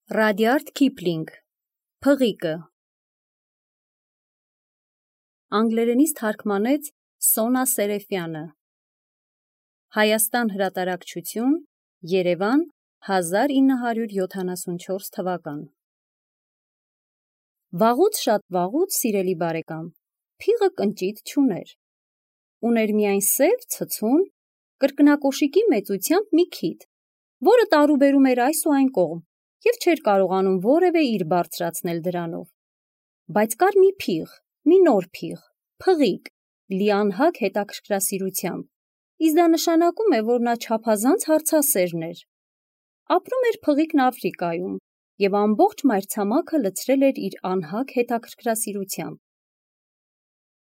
Ռադիարդ Քիփլինգ, Փղիկը Անգլերենից թարգմանեց Սոնա Սերեֆյանը Հայաստան հրատարակչություն, Երևան, 1974 թվական Վաղուց շատ վաղուց, սիրելի բարեկամ, փիղը կնճիտ չուներ, ուներ միայն սև, ցցուն, կրկնակոշիկի մեծությամբ մի քիթ, որը տարուբերում էր այս ու այն կողմ և չէր կարողանում որևէ իր բարձրացնել դրանով, բայց կար մի փիղ, մի նոր փիղ, փղիկ, լի անհագ հետաքրքրասիրությամբ, իսկ դա նշանակում է, որ նա չափազանց հարցասերն էր։ Ապրում էր փղիկն Աֆրիկայում և ամբողջ մայրցամաքը լցրել էր իր անհագ հետաքրքրասիրությամբ։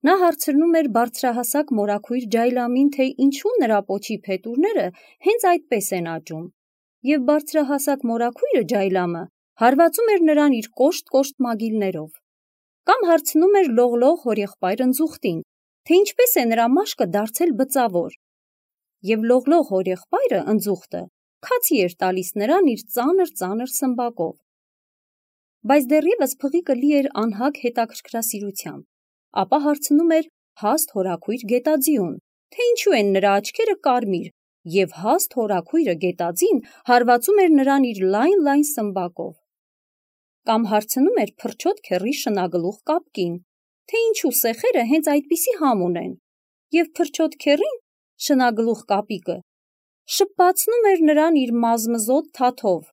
Նա հարցնում էր բարձրահասակ մորաքույր Ջայլամին, թե ինչու նրա պոչի փետուրները հենց այդպես են աճում, և բարձրահասակ մորաքույրը Ջայլամը հարվածում էր նրան իր կոշտ մագիլներով։ Կամ հարցնում էր լողլող հորեղբայր ընձուղտին, թե ինչպես է նրա մաշկը դարձել բծավոր, և լողլող հորեղբայրը ընձուղտը քացի էր տալիս նրան իր ծանր սմբակով։ Բայց դեռևս փղիկը լի էր անհագ հետաքրքրասիրությամբ, ապա հարցնում էր հաստ հորաքույր գետաձիուն, թե ինչու են նրա աչքերը կարմիր, և հաստ հորաքույրը գետաձին հարվածում էր նրան իր լայն սմբակով։ Կամ հարցնում էր փրչոտ քեռի շնագլուխ կապկին, թե ինչու սեխերը հենց այդպիսի համ ունեն, և փրչոտ քեռին, շնագլուխ կապիկը, շփպացնում էր նրան իր մազմզոտ թաթով։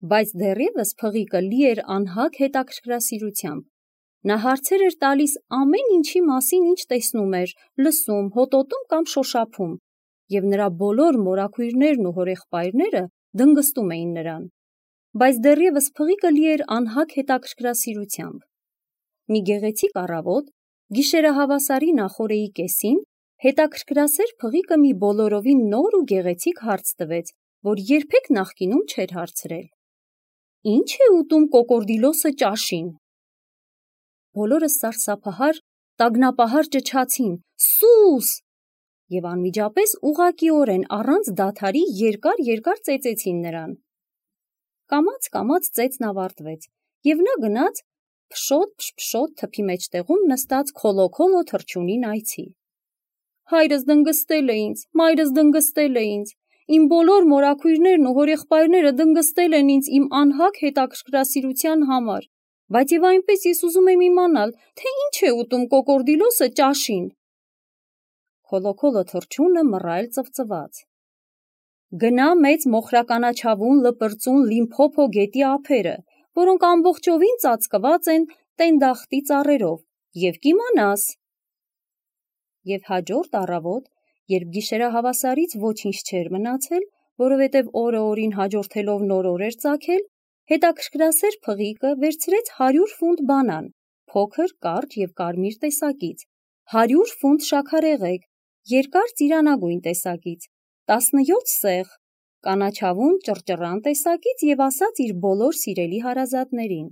Բայց դեռևս փղիկը լի էր անհագ հետաքրքրասիրությամբ։ Նա հարցեր էր տալիս ամեն ինչի մասին, ինչ տեսնում էր, լսում, հոտոտում կամ շոշափում, և նրա բոլոր մորաքույրներն ու հորեղբայրները դնգստում էին նրան։ Բայց դեռևս փղիկը լի էր անհագ հետաքրքրասիրությամբ։ Մի գեղեցիկ առավոտ, գիշերահավասարի նախօրեի կեսին, հետաքրքրասեր փղիկը մի բոլորովին նոր ու գեղեցիկ հարց տվեց, որ երբեք նախկինում չէր հարցրել. «Ի՞նչ է ուտում կոկորդիլոսը ճաշին»։ Բոլորը սարսափահար, տագնապահար ճչացին. «Սուս»։ Եվ անմիջապես ուղղակիորեն առանց դադարի երկար ծեծեցին նրան։ Կամաց ծեծն ավարտվեց, և նա գնաց փշոտ թփի մեջտեղում նստած քոլոքոլո թռչունին այցի։ Հայրս դնգստել է ինձ, մայրս դնգստել է ինձ, իմ բոլոր մորաքույրներն ու հորեղբայրները դնգստել են ինձ իմ անհագ հետաքրքրասիրության համար, բայց և այնպես ես ուզում եմ իմանալ, թե ինչ է ուտում կոկորդիլոսը ճաշին։ Քոլոքոլո թռչունը մռայլ ծվծվաց. «Գնա մեծ մոխրականաչավուն լպրծուն Լիմփոփո գետի ափերը, որոնք ամբողջովին ծածկված են տենդախտի ծառերով, և կիմանաս»։ Եվ հաջորդ առավոտ, երբ գիշերահավասարից ոչինչ չէր մնացել, որովհետև օրը օրին հաջորդելով նոր օր էր ծագել, հետաքրքրասեր փղիկը վերցրեց 100 ֆունտ բանան, փոքր, կարճ և կարմիր տեսակից, 100 ֆունտ շաքարեղեգ, երկար ծիրանագույն տեսակից, 17 սեղ, կանաչավուն ճռճռան տեսակից և ասաց իր բոլոր սիրելի հարազատներին.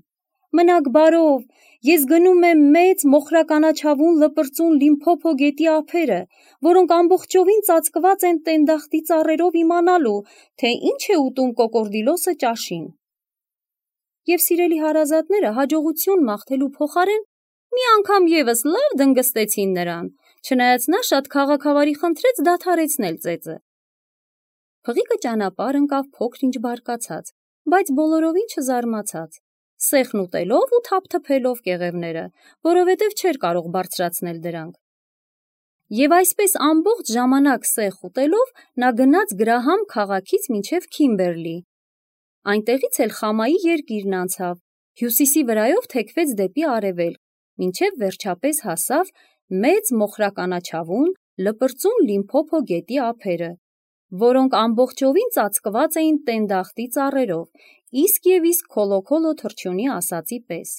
«Մնաք բարով, ես գնում եմ մեծ մոխրականաչավուն լպրծուն Լիմփոփո գետի ափերը, որոնք ամբողջովին ծածկված են տենդախտի ծառերով իմանալու, թե ինչ է ուտում կոկորդիլոսը ճաշին»։ Եվ սիրելի հարազատները հաջողություն մաղթելու փոխարեն մի անգամ ևս լավ դնգստեցին նրան, չնայած նա շատ քաղաքավարի խնդրեց դադարեցնել ծեծը։ Փղիկը ճանապարհ ընկավ փոքր-ինչ բարկացած, բայց բոլորովին չզարմացած, սեխն ուտելով ու թափթփելով կեղևները, որովհետև չէր կարող բարձրացնել դրանք։ Եվ այսպես ամբողջ ժամանակ սեխ ուտելով նա գնաց Գրահամ քաղաքից մինչև Քիմբերլի։ Այնտեղից էլ Խամայի երկիրն անցավ, հյուսիսի վրայով թեքվեց դեպի արևելք, մինչև վերջապես հասավ մեծ մոխրականաչավուն լպրծուն Լիմփոփո գետի ափերը, որոնք ամբողջովին ծածկված էին տենդախտի ծառերով, իսկ քոլոքոլո թռչունի ասածի պես։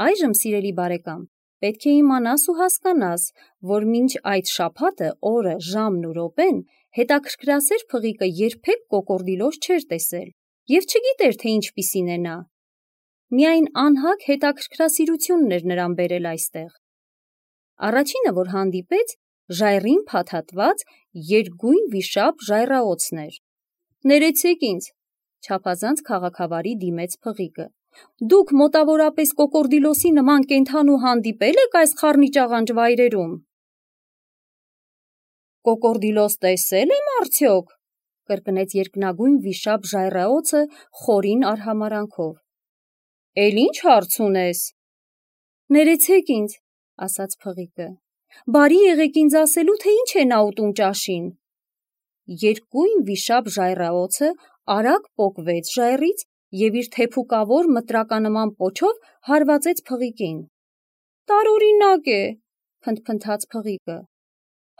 Այժմ, սիրելի բարեկամ, պետք է իմանաս ու հասկանաս, որ մինչ այդ շաբաթը, օրը, ժամն ու րոպեն հետաքրքրասեր փղիկը երբեք կոկորդիլոս չէր տեսել և չգիտեր, թե ինչպիսին է նա։ Միայն անհագ հետաքրքրասիրությունն էր նրան բերել այստեղ։ Առաջինը, որ հանդիպեց, ժայռին փաթաթված երկգույն վիշապ ժայռաոցն էր։ «Ներեցեք ինձ, Չափազանց քաղաքավարի դիմեց Փղիկը։ Դուք մոտավորապես կոկորդիլոսի նման կենդանու հանդիպել եք այս խառնիճաղանճ վայրերում։ Կոկորդիլոս տեսել եմ արդյոք, կրկնեց երկնագույն վիշապ ժայռաոցը խորին արհամարանքով։ Էլ ինչ հարց ունես։ Ներեցեք ինձ, ասաց Փղիկը։ Բարի եղեք ինձ ասելու, թե ինչ է նա ուտում ճաշին։ Երկգույն վիշապ ժայռաոցը արագ պոկվեց ժայռից և իր թեփուկավոր մտրականման պոչով հարվածեց Փղիկին։ Տարօրինակ է, փնթփնթաց Փղիկը։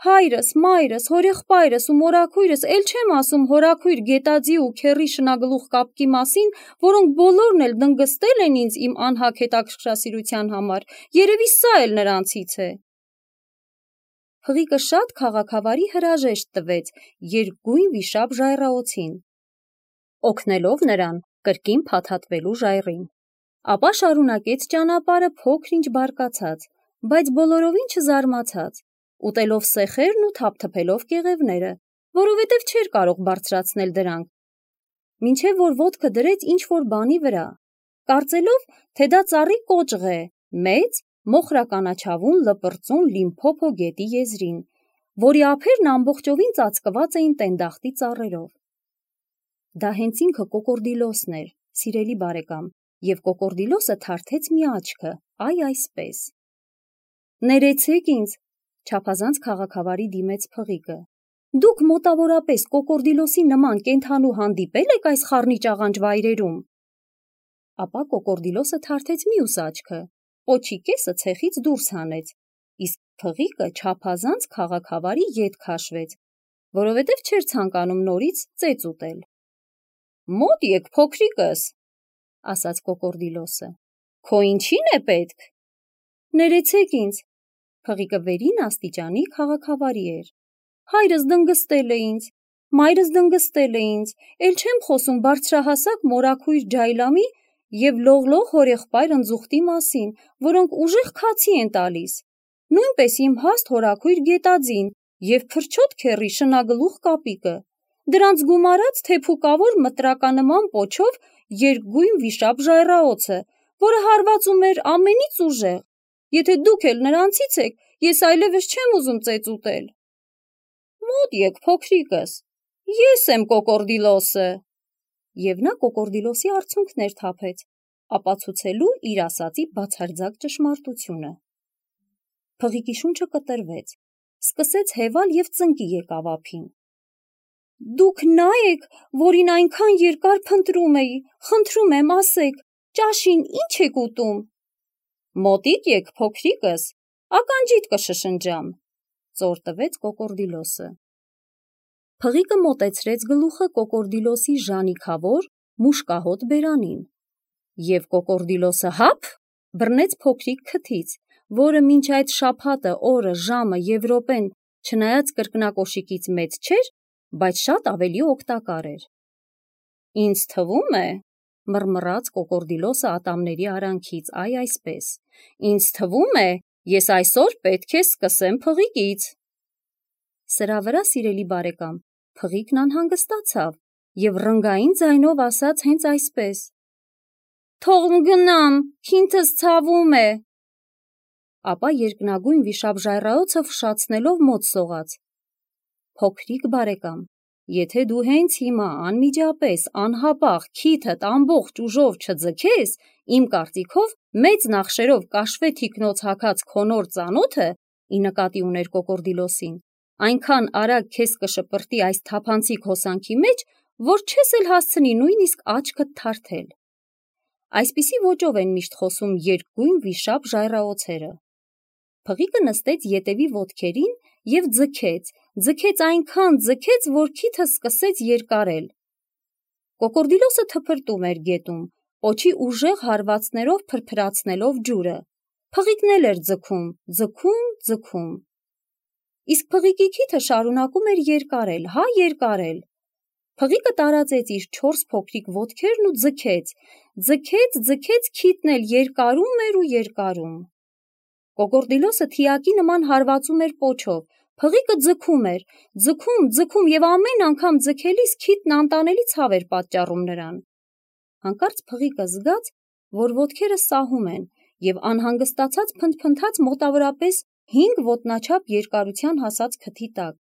Հայրս, մայրս, հորեղբայրս ու մորաքույրս, էլ չեմ ասում հորաքույր Գետաձի ու Քեռի շնագլուխ կապկի մասին, որոնք բոլորն էլ դնգստել են ինձ իմ անհագ հետաքրքրասիրության համար, երևի սա էլ նրանցից է։ Փղիկը շատ քաղաքավարի հրաժեշտ տվեց երկգույն վիշապ ժայռաոցին, օգնելով նրան կրկին փաթաթվելու ժայռին։ Ապա շարունակեց ճանապարհը փոքր-ինչ բարկացած, բայց բոլորովին չզարմացած, ուտելով սեխերն ու թափթփելով կեղևները, որովհետև չէր կարող բարձրացնել դրանք, մինչև որ ոտքը դրեց ինչ-որ բանի վրա, կարծելով, թե դա ծառի կոճղ է, մեծ, մոխրականաչավուն լպրծուն Լիմփոփո գետի եզրին, որի ափերն ամբողջովին ծածկված էին տենդախտի ծառերով։ Դա հենց ինքը կոկորդիլոսն էր, սիրելի բարեկամ, և կոկորդիլոսը թարթեց մի աչքը, այ այսպես։ Ներեցեք ինձ, չափազանց քաղաքավարի դիմեց Փղիկը։ Դուք մոտավորապես կոկորդիլոսի նման կենդանու հանդիպել եք այս խառնիճաղանճ վայրերում։ Ապա կոկորդիլոսը թարթեց մյուս աչքը, պոչի կեսը ցեխից դուրս հանեց, իսկ Փղիկը չափազանց քաղաքավարի ետ քաշվեց, որովհետև չէր ցանկանում նորից ծեծ ուտել։ Մոտ եկ փոքրիկս, ասաց կոկորդիլոսը, քո ինչին է պետք։ Ներեցեք ինձ, Փղիկը վերին աստիճանի քաղաքավարի էր։ Հայրս դնգստել է ինձ, մայրս դնգստել է ինձ, էլ չեմ խոսում բարձրահասակ մորաքույր Ջայլամի և լողլող հորեղբայր ընձուղտի մասին, որոնք ուժեղ քացի են տալիս, նույնպես իմ հաստ հորաքույր Գետաձին և փրչոտ Քեռի շնագլուխ կապիկը, դրանց գումարած թեփուկավոր մտրականման պոչով երկգույն վիշապ ժայռաոցը, որը հարվածում էր ամենից ուժեղ։ Եթե դուք էլ նրանցից եք, ես այլևս չեմ ուզում ծեծ ուտել։ Մոտ եկ փոքրիկս, ես եմ կոկորդիլոսը։ Եվ նա կոկորդիլոսի արցունքներ թափեց, ապացուցելու իր ասածի բացարձակ ճշմարտությունը։ Փղիկի շունչը կտրվեց, սկսեց հևալ և ծնկի եկավ ափին։ Դուք նա եք, որին այնքան երկար փնտրում էի, խնդրում եմ ասեք, ճաշին ինչ եք ուտում։ Մոտիկ եք փոքրիկս, ականջիդ կշշնջամ, ծոր տվեց կոկորդիլոսը։ Փղիկը մոտեցրեց գլուխը կոկորդիլոսի ժանիքավոր մուշկահոտ բերանին, և կոկորդիլոսը հափ բռնեց փոքրիկ քթից, որը մինչ այդ շաբաթը օրը, ժամը և րոպեն չնայած կրկնակոշիկից մեծ չէր, բայց շատ ավելի օգտակար էր։ Ինձ թվում է, մռմռաց կոկորդիլոսը ատամների արանքից, այ այսպես, ինձ թվում է, ես այսօր պետք է սկսեմ Փղիկից։ Սրա վրա, սիրելի բարեկամ, Փղիկն անհանգստացավ և ռնգային ձայնով ասաց հենց այսպես. Թող գնամ, քինթս ցավում է։ Ապա երկնագույն վիշապ ժայռաոցը ֆշացնելով մոտ սողաց. Փոքրիկ բարեկամ, եթե դու հենց հիմա անմիջապես, անհապաղ քիթդ ամբողջ ուժով չձգես, իմ կարծիքով մեծ նախշերով կաշվե թիկնոց հագած քո նոր ծանոթը, ի նկատի ուներ կոկորդիլոսին, այնքան արագ քեզ կշպրտի այս թափանցիկ հոսանքի մեջ, որ չես էլ հասցնի նույնիսկ աչքդ թարթել։ Այսպիսի ոճով են միշտ խոսում երկգույն վիշապ ժայռաոցերը։ Փղիկը նստեց ետևի ոտքերին և ձգեց այնքան ձգեց, որ քիթը սկսեց երկարել։ Կոկորդիլոսը թփրտում էր գետում, պոչի ուժեղ հարվածներով փրփրացնելով ջուրը։ Փղիկն էլ էր ձգում։ Իսկ Փղիկի քիթը շարունակում էր երկարել, երկարել։ Փղիկը տարածեց իր 4 փոքրիկ ոտքերն ու ձգեց, քիթն էլ երկարում էր ու երկարում։ Կոկորդիլոսը թիակի նման հարվածում էր պոչով, Փղիկը ձգում էր, ձգում եւ ամեն անգամ ձգելիս քիթն անտանելի ցավ էր պատճառում նրան։ Հանկարծ փղիկը զգաց, որ ոտքերը սահում են եւ անհանգստացած փնթփնթաց մոտավորապես 5 ոտնաչափ երկարության հասած քթի տակ։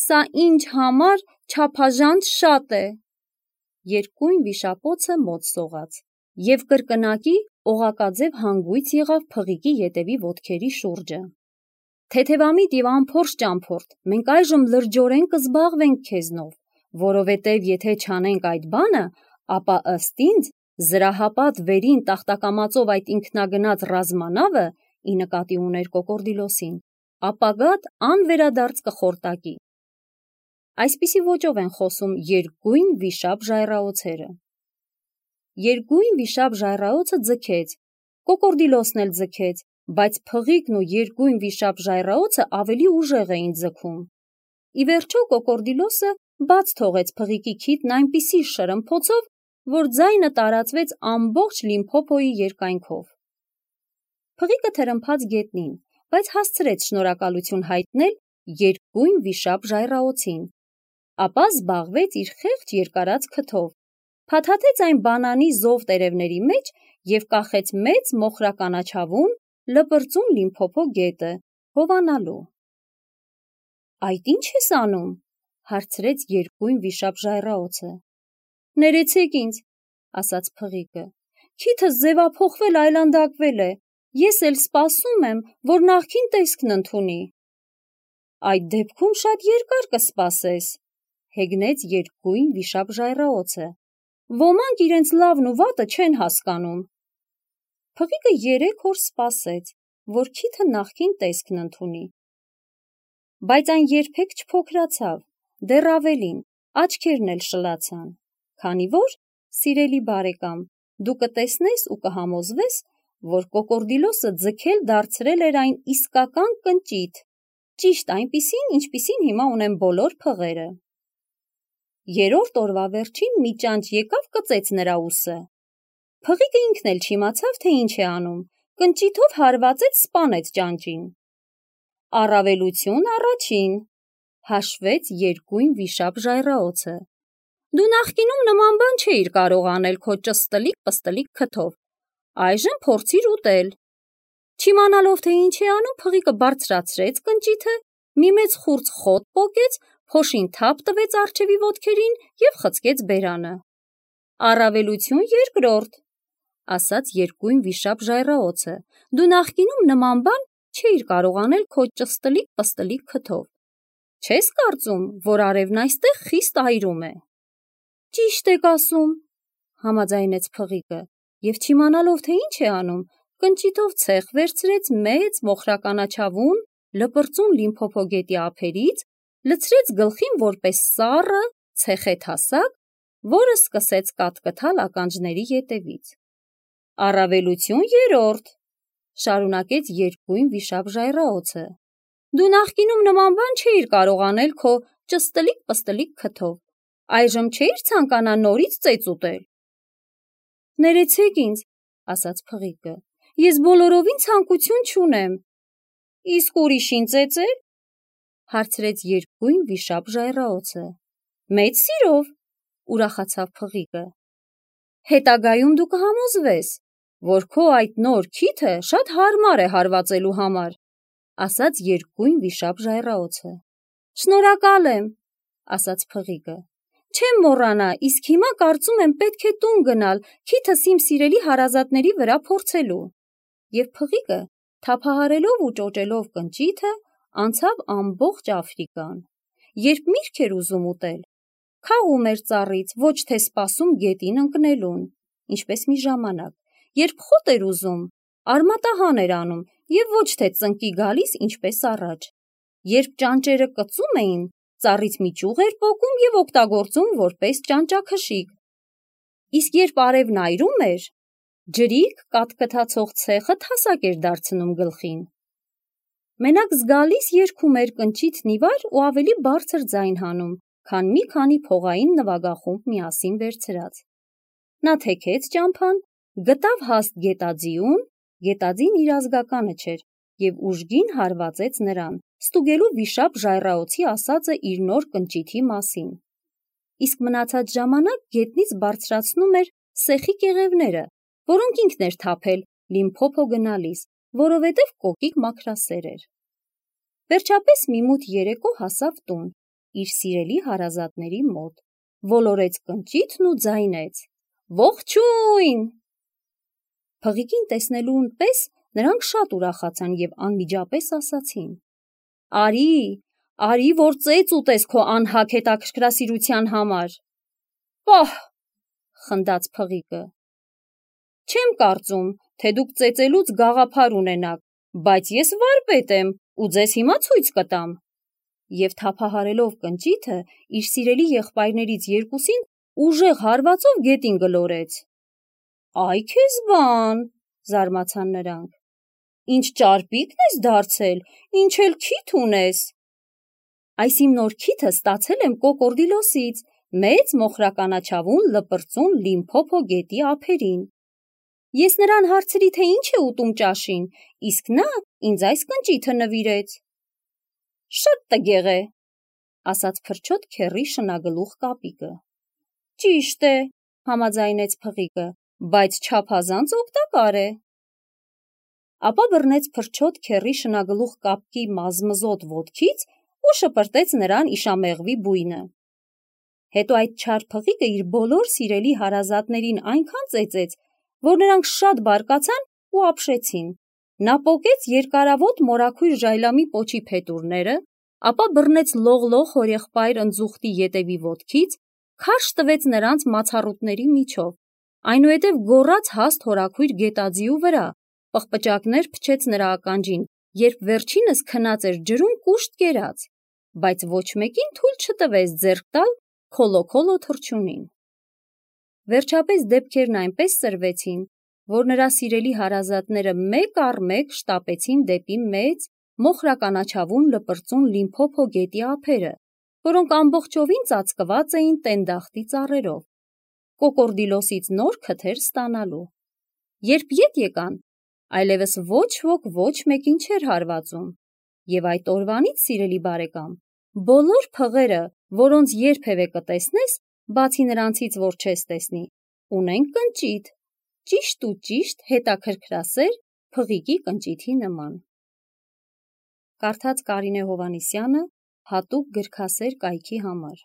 Սա ինչ համար չափազանց շատ է, երկույն վիշապոցը մոտ սողաց եւ կրկնակի օղակաձև հանգույց եղավ փղիկի ետևի ոտքերի շուրջը։ Թեթևամիտ եւ անփորձ ճամփորդ, մենք այժմ լրջորեն կզբաղվենք քեզնով, որովհետեւ եթե չանենք այդ բանը, ապա ըստ ինձ զրահապատ վերին տախտակամածով այդ ինքնագնաց ռազմանավը, ի նկատի ուներ Կոկորդիլոսին, ապագատ անվերադարձ կխորտակի։ Այսպիսի ոճով են խոսում երկույն վիշապ ժայռաոցերը։ Երկույն վիշապ ժայռաոցը ձգեց, Կոկորդիլոսն էլ ձգեց, բայց փղիկն ու երկույն վիշապ ժայռաոցը ավելի ուժեղ էին ձգում։ Ի վերջո Կոկորդիլոսը բաց թողեց փղիկի քիթն այնպիսի շրմփոցով, որ ձայնը տարածվեց ամբողջ Լիմփոփոյի երկայնքով։ Փղիկը թրմփաց գետնին, բայց հասցրեց շնորհակալություն հայտնել երկույն վիշապ ժայռաոցին, ապա զբաղվեց իր խեղճ երկարած քթով, փաթաթեց այն բանանի զով տերևների մեջ եւ կախեց մեծ մոխրականաչավուն լպրծուն Լիմփոփո գետը, հովանալու։ Այդ ի՞նչ ես անում, հարցրեց երկույն վիշապ ժայռաոցը։ Ներեցեք ինձ, ասաց փղիկը, քիթս ձևափոխվել այլանդակվել է, ես էլ սպասում եմ, որ նախքին տեսքն ընդունի։ Այդ դեպքում շատ երկար կսպասես, հեգնեց երկույն վիշապ ժայռաոցը։ Ոմանք իրենց լավն ու վատը չեն հասկանում։ Փղիկը 3 օր սպասեց, որ քիթը նախքին տեսքն ընդունի։ Բայց այն երբեք չփոքրացավ, դեռ ավելին, աչքերն էլ շլացան, քանի որ, սիրելի բարեկամ, դու կտեսնես ու կհամոզվես, որ Կոկորդիլոսը ձգել դարձրել էր այն իսկական կնճիթ, ճիշտ այնպիսին, ինչպիսին հիմա ունեն բոլոր փղերը։ 3-րդ օրվա վերջին մի ճանճ եկավ կծեց նրա ուսը։ Փղիկը ինքն էլ չիմացավ, թե ինչ է անում, կնճիթով հարվածեց, սպանեց ճանճին։ Առավելություն առաջին, հաշվեց երկույն վիշապ ժայռաոցը։ Դու նախկինում նման բան չէիր կարող անել քո ճստլիկ-պստլիկ քթով, այժմ փորձիր ուտել։ Չիմանալով, թե ինչ է անում, փղիկը բարձրացրեց կնճիթը, մի մեծ խուրձ խոտ պոկեց, փոշին թափ տվեց առջևի ոտքերին եւ խցկեց բերանը։ Առավելություն երկրորդ, ասաց երկույն վիշապ ժայռաոցը, դու նախկինում նման բան չէիր կարող անել քո ճստլիկ-պստլիկ քթով։ Չես կարծում, որ արևն այստեղ խիստ այրում է։ Ճիշտ եք ասում, համաձայնեց փղիկը, եւ չիմանալով, թե ինչ է անում, կնճիթով ցեխ վերցրեց մեծ մոխրականաչավուն լպրծուն Լիմփոփո գետի ափերից, լցրեց գլխին որպես սառը ցեխեթասակ, որը սկսեց կատկթալ ականջների ետևից։ Առավելություն երրորդ, շարունակեց երկույն վիշապ ժայռաոցը, դու նախկինում նման բան չէիր կարող անել քո ճստլիկ-պստլիկ քթով, այժմ չէիր ցանկանա նորից ծեծ ուտել։ Ներեցեք ինձ, ասաց փղիկը, ես բոլորովին ցանկություն չունեմ։ Իսկ ուրիշին ծեծել, հարցրեց երկույն վիշապ ժայռաոցը։ Մեծ սիրով, ուրախացավ փղիկը։ Հետագայում դու կհամոզվես, որ քո այդ նոր քիթը շատ հարմար է հարվածելու համար, ասաց երկույն վիշապ ժայռաոցը։ Շնորհակալ եմ, ասաց փղիկը։ Չեմ մոռանա, իսկ հիմա կարծում եմ պետք է տուն գնալ քիթս իմ սիրելի հարազատների վրա փորձելու։ Եվ փղիկը, թափահարելով ու ճոճելով կնճիթը, անցավ ամբողջ Աֆրիկան։ Երբ միրգ էր ուզում ուտել, քաղում էր ծառից, ոչ թե սպասում գետին ընկնելուն, ինչպես մի ժամանակ, երբ խոտ էր ուզում, արմատահան էր անում եւ ոչ թե ծնկի գալիս, ինչպես առաջ։ Երբ ճանճերը կծում էին, ծառից մի ճյուղ էր պոկում եւ օգտագործում որպես ճանճաքշիկ։ Իսկ երբ արևն այրում էր, ջրիկ կատկթացող ցեխը թասակ էր դարձնում գլխին։ Մենակ զգալիս երգում էր կնճիթն ի վար ու ավելի բարձր ձայն հանում, քան մի քանի փողային նվագախումբ միասին վերցրած։ Նա թեքեց ճամփան, գտավ հաստ գետաձիուն, գետաձին իր ազգականը չէր, եւ ուժգին հարվածեց նրան, ստուգելու վիշապ ժայռաոցի ասածը իր նոր կնճիթի մասին։ Իսկ մնացած ժամանակ գետնից բարձրացնում էր սեխի կեղևները, որոնք ինքն էր թափել Լիմփոփո գնալիս, որովհետև կոկիկ մաքրասեր էր։ Վերջապես մի մութ երեկո հասավ տուն, իր սիրելի հարազատների մոտ, ոլորեց կնճիթն ու ձայնեց. «Ողջույն»։ Փղիկին տեսնելուն պես նրանք շատ ուրախացան և անմիջապես ասացին. Արի, որ ծեծ ուտես քո անհագ հետաքրքրասիրության համար։ Պահ, խնդաց փղիկը։ Չեմ կարծում, թե դուք ծեծելուց գաղափար ունենաք, բայց ես վարպետ եմ ու ձեզ հիմա ցույց կտամ։ Եվ թափահարելով կնճիթը, իր սիրելի եղբայրներից երկուսին ուժեղ հարվածով գետին գլորեց։ Այ քեզ բան, զարմացան նրանք։ Ինչ ճարպիկն ես դարձել, ինչ էլ քիթ ունես։ Այս իմ նոր քիթը ստացել եմ Կոկորդիլոսից, մեծ մոխրականաչավուն լպրծուն Լիմփոփո գետի ափերին։ Ես նրան հարցրի, թե ինչ է ուտում ճաշին, իսկ նա ինձ այս կնճիթը նվիրեց։ Շատ տգեղ է, ասաց փրչոտ քեռի շնագլուխ կապիկը։ Ճիշտ է, համաձայնեց փղիկը, բայց չափազանց օգտակար է։ Ապա բռնեց փրչոտ քեռի շնագլուխ կապկի մազմզոտ ոտքից ու շպրտեց նրան իշամեղվի բույնը։ Հետո այդ չար փղիկը իր բոլոր սիրելի հարազատներին այնքան ծեծեց, որ նրանք շատ բարկացան ու ապշեցին։ Նա պոկեց երկարավոտ մորաքույր ժայլամի պոչի փետուրները, ապա բռնեց լողլող հորեղբայր ընձուղտի ետևի ոտքից, քարշ տվեց նրանց մացառուտների միջով, այնուհետև գոռաց հաստ հորաքույր գետաձիու վրա, պղպճակներ փչեց նրա ականջին, երբ վերջինս քնած էր ջրում կուշտ կերած, բայց ոչ մեկին թույլ չտվեց ձեռք տալ քոլոքոլո թռչունին։ Վերջապես դեպքերն այնպես սրվեցին, որ նրա սիրելի հարազատները մեկ առ մեկ շտապեցին դեպի մեծ, մոխրականաչավուն լպրծուն Լիմփոփո գետի ափերը, որոնք ամբողջովին ծածկված էին տենդախտի ծառերով, Կոկորդիլոսից նոր քթեր ստանալու։ Երբ ետ եկան, այլևս ոչ ոք ոչ մեկին չէր հարվածում, և այդ օրվանից, սիրելի բարեկամ, բոլոր փղերը, որոնց երբևէ կտեսնես, բացի նրանցից, որ չես տեսնի, ունեն կնճիթ, ճիշտ ու ճիշտ հետաքրքրասեր փղիկի կնճիթի նման։ Կարդաց Կարինե Հովհաննիսյանը հատուկ գրքասեր կայքի համար։